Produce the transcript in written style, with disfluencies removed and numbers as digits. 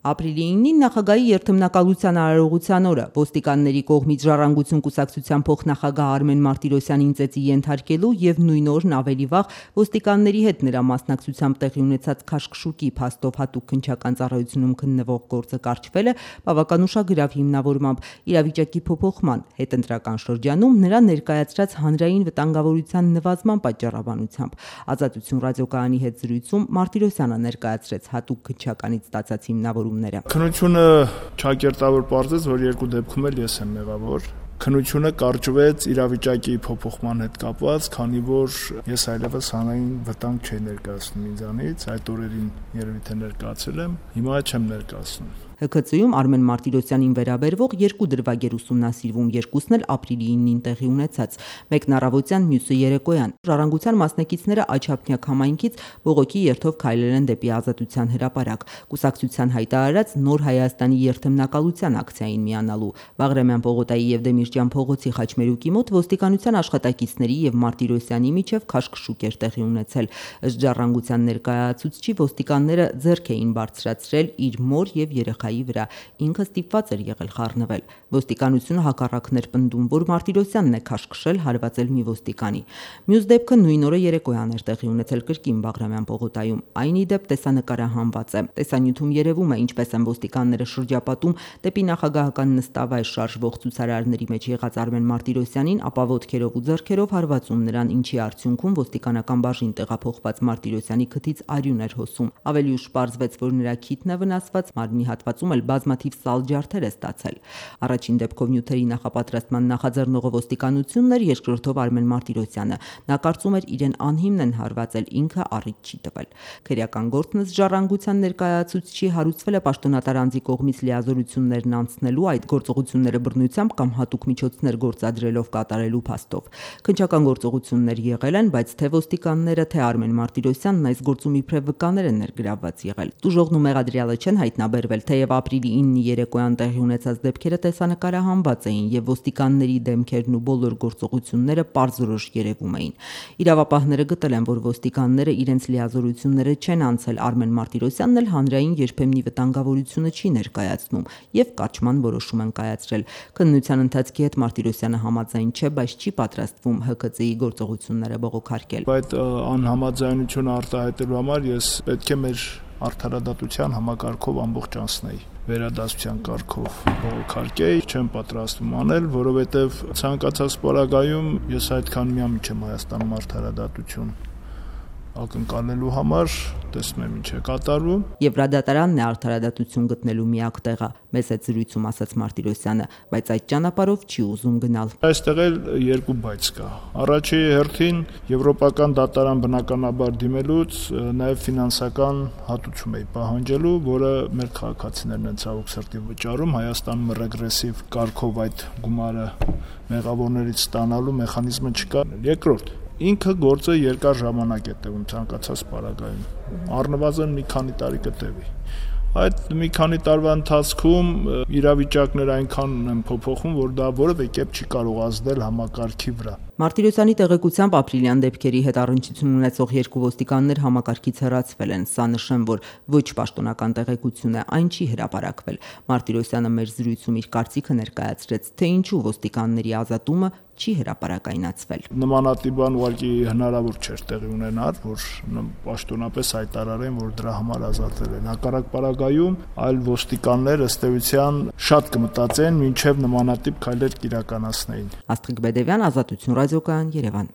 Ապրիլի 9-ին նախագահի երթմնակալության արարողության օրը ոստիկանների կողմից Ժառանգություն կուսակցության փոխնախագահ Արմեն Մարտիրոսյանին ծեծի ենթարկելու եւ նույն օրն ավելի վաղ ոստիկանների հետ նրա մասնակցությամբ տեղի ունեցած քաշքշուկի փաստով հատուկ քննչական ծառայությունում քննվող գործը կարճվելը բավականուշագրավ հիմնավորմամբ իրավիճակի փոփոխման հետընտրական շրջանում նրա ներկայացրած հանրային վտանգավորության նվազման պատճառաբանությամբ Ազատություն ռադիոկայանի հետ զրույցում Մարտիրոսյանը ներկայացրեց հատուկ քննչականից ստացած հիմնավորում Քննությունը ճակերտավոր պարզեց, որ երկու դեպքում էլ ես եմ մեղավոր։ Քննությունը կարճվեց իրավիճակի փոփոխման հետ կապված, քանի որ ես այլևս հանրային վտանգ չէի ներկայացնում ինձանից, այդ օրերին երևի թե ներկայացել եմ, հիմա չեմ ներկայացնում։ ՀՔԾ-ում Արմեն Մարտիրոսյանին վերաբերվող երկու դրվագեր ուսումնասիրվում, երկուսն էլ ապրիլի 9-ին տեղի ունեցած, մեկն առավոտյան, մյուսը երեկոյան։ Ժառանգության մասնակիցները Աչափնյակ համայնքից բողոքի երթով քայլել են դեպի Ազատության հրապարակ, կուսակցության հայտարարած Նոր Հայաստանի երթմնակալության ակցիային միանալու։ Բաղրամյան պողոտայի եւ Դեմիրճյան փողոցի խաչմերուկի մոտ ոստիկանության աշխատակիցների եւ Մարտիրոսյանի միջև քաշքշուկ էր տեղի ունեցել։ Ըստ Ժառանգության ներկայացուցչի ոստիկանները ձեռք էին բարձրացրել իր մոր եւ երեխայի վրա, ինքը ստիպված էր եղել խառնվել։ Ոստիկանությունը հակառակն էր պնդում, որ Մարտիրոսյանն է քաշքշել, հարվածել մի ոստիկանի։ Մյուս դեպքը նույն օրը երեկոյան էր տեղի ունեցել կրկին Բաղրամյան պողոտայում։ Այն ի դեպ տեսանկարահանված է։ Տեսանյութում երևում է, ինչպես են ոստիկանները շրջապատում դեպի նախագահական նստավայր շարժվող ցուցարարների մեջ եղած Արմեն Մարտիրոսյանին, ապա ոտքերով ու ձեռքերով հարվածում նրան, ինչի արդյունքում ոստիկանական բաժին տեղափոխված Մարտիրոսյանի քթից արյուն էր հոսում։ Ավելի ուշ պարզվեց, որ նրա քիթն է վնասված, մարմնի հատվածում էլ բազմաթիվ սալ ջարդեր է ստացել։ Առաջին դեպքով նյութերի նախապատրաստման նախաձեռնողը ոստիկանությունն էր, երկրորդով Արմեն Մարտիրոսյանը։ Նա կարծում էր իրեն անհիմն են հարվածել, ինքը առիթ չի տվել։ Քրեական գործն ըստ Ժառանգության ներկայացուցչի հարուցվել է պաշտոնատար անձի կողմից լիազորություններն անցնելու, այդ գործողությունները բռնությամբ կամ հատուկ միջոցներ գործադրելով կատարելու փաստով։ Քննչական գործողություններ եղել են, բայց թե ոստիկանները, թե Արմեն Մարտիրոսյանն այս գործում իբրև վկաներ են ներգրավված եղել։ Տուժողն ու մեղադրյալը չեն հայտնաբերվել, թեև ապրիլի 9-ի երեկոյան տեղի ունեցած դեպքերը տեսանկարահանված էին եւ ոստիկանների դեմքերն ու բոլոր գործողությունները պարզորոշ երևում էին։ Իրավապահները գտել են, որ ոստիկանները իրենց լիազորությունները չեն անցել, Արմեն Մարտիրոսյանն էլ հանրային երբեմնի վտանգավորությունը չի ներկայացնում եւ կարճման որոշում են կայացրել։ Քննության ընթացքի հետ Մարտիրոսյանը համաձայն չէ, բայց չի պատրաստվում ՀՔԾ-ի գործողությունները բողոքարկել։ Այդ անհամաձայնությունը արտահայտելու համար ես պետք է մեր արդարադատության համակարգով ամբողջ անցնեի, վերադասության կարգով բողոքարկեի, չեմ պատրաստվում անել, որովհետև ցանկացած պարագայում ես այդքան միամիջ եմ Հայաստանում արդարադատություն ակնկալելու համար, տեսնում եմ ինչ է կատարվում։ Եվրադատարանն է արդարադատություն գտնելու միակ տեղը, մեծ այդ զրույցում ասաց Մարտիրոսյանը, բայց այդ ճանապարհով չի ուզում գնալ։ Այստեղ էլ երկու բայց կա։ Առաջի հերթին եվրոպական դատարան բնականաբար դիմելուց նաև ֆինանսական հատուցում է պահանջելու, որը մեր քաղաքացիներն են ցավոք սրտի վճարում, Հայաստանում ռեգրեսիվ կարգով այդ գումարը մեղավորներից ստանալու մեխանիզմը չկա։ Երկրորդ, ինքը գործը երկար ժամանակ է տևում ցանկացած պարագայում, առնվազն մի քանի տարի կտևի։ Այդ մի քանի տարվա ընթացքում իրավիճակները այնքան են փոփոխում, որ դա որևէ կերպ չի կարող ազդել համակարգի վրա։ Մարտիրոսյանի տեղեկությամբ ապրիլյան դեպքերի հետ առնչություն ունեցող երկու ոստիկաններ համակարգից հեռացվել են։ Սա նշեմ, որ ոչ պաշտոնական տեղեկություն է, այն չի հրապարակվել։ Մարտիրոսյանը մեր զրույցում իր կարծիքը ներկայացրեց, թե ինչու ոստիկանների ազատումը չի հրապարակայնացվել։ Նմանատիպ բան ուղղակի հնարավոր չէր տեղի ունենալ, որ պաշտոնապես հայտարարեն, որ դրա համար ազատվել են։ Հակառակ պարագայում այլ ոստիկաններ ըստ էության շատ կմտածեն, մինչև նմանատիպ քայլեր կիրականացնեին։ Աստղիկ Բեդևյան, Ազատություն ռադիոկայան, Երևան։